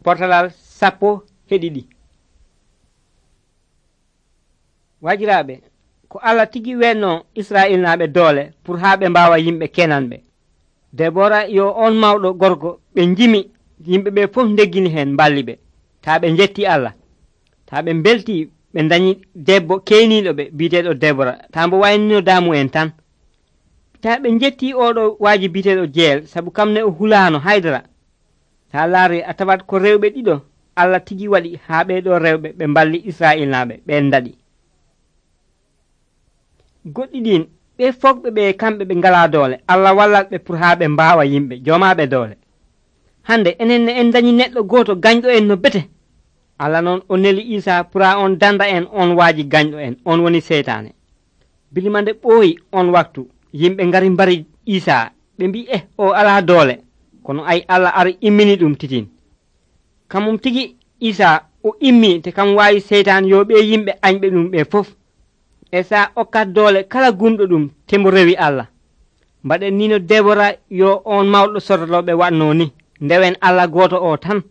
portalal 10 wajiraɓe ko Allah tigi wenno Israil naɓe doole pour ha ɓe mbawa yimɓe kenanɓe. Debora yo on mawɗo gorko ɓe jimi yimɓe ɓe fof deggini hen mballi ɓe ta ɓe jetti Allah ta ɓe belti ɓe dañi debbo keyniɗo ɓe biteɗo Debora ta mbo waynino damu en tan ta ɓe jetti oɗo waji biteɗo jeel sabu kamne o hulano haydara. Ta laari a tawat ko rewɓe ɗiɗo Allah tigi waɗi ha ɓeɗo rewɓe ɓe mballi Israil naɓe ɓen daɗi. Goɗɗi ɗin ɓe fogɓe ɓe kamɓe ɓe ngala doole Allah wallat ɓe pour ha ɓe mbawa yimɓe jomaɓe doole. Hande enen en dañi neɗɗo goto gañɗo en no bete. Allah noon o neli Isa pour ha on danda en on waji gañɗo en on woni seytane. Bilima nde ɓooyi on waktu yimɓe ngari mbari Isa ɓe mbi o ala doole kono ay Allah ari immini ɗum titin. Kamum tigi Isa o immi te kam wawi seytan yo ɓe yimɓe añɓe ɗum ɓe fof. E sa okkat doole kala gumɗo ɗum tembo rewi Allah. Mbaɗen nino Debora yo on mawɗo sordoloɓe wanno ni ndewen Allah goto o tan